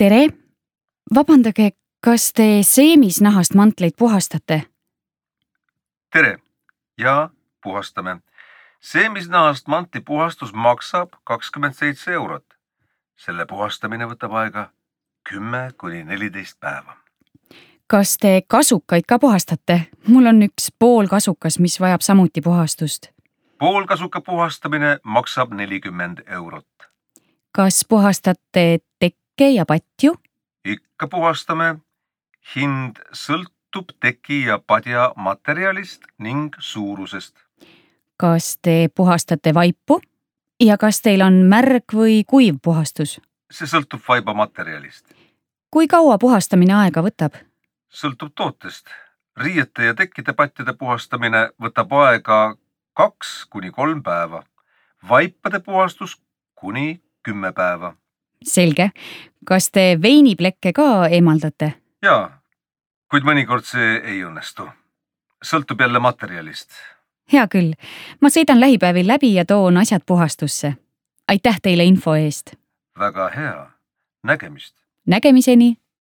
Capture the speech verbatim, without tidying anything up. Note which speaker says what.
Speaker 1: Tere! Vabandage, kas te seemisnahast mantleid puhastate?
Speaker 2: Tere! Ja puhastame. Seemisnahast mantli puhastus maksab kakskümmend seitse eurot. Selle puhastamine võtab aega kümme kuni neliteist päeva.
Speaker 1: Kas te kasukaid ka puhastate? Mul on üks pool kasukas, mis vajab samuti puhastust.
Speaker 2: Poolkasuka puhastamine maksab nelikümmend eurot.
Speaker 1: Kas puhastate tekke ja patju?
Speaker 2: Ikka puhastame. Hind sõltub teki ja padja materjalist ning suurusest.
Speaker 1: Kas te puhastate vaipu? Ja kas teil on märg või kuiv puhastus?
Speaker 2: See sõltub vaiba materjalist.
Speaker 1: Kui kaua puhastamine aega võtab?
Speaker 2: Sõltub tootest. Riiete ja tekkide patjade puhastamine võtab aega kaks kuni kolm päeva. Vaipade puhastus kuni kümme päeva.
Speaker 1: Selge. Kas te veiniplekke ka eemaldate?
Speaker 2: Jaa, kuid mõnikord see ei õnnestu. Sõltub jälle materjalist.
Speaker 1: Hea küll. Ma sõidan lähipäevil läbi ja toon asjad puhastusse. Aitäh teile info eest.
Speaker 2: Väga hea. Nägemist.
Speaker 1: Nägemiseni!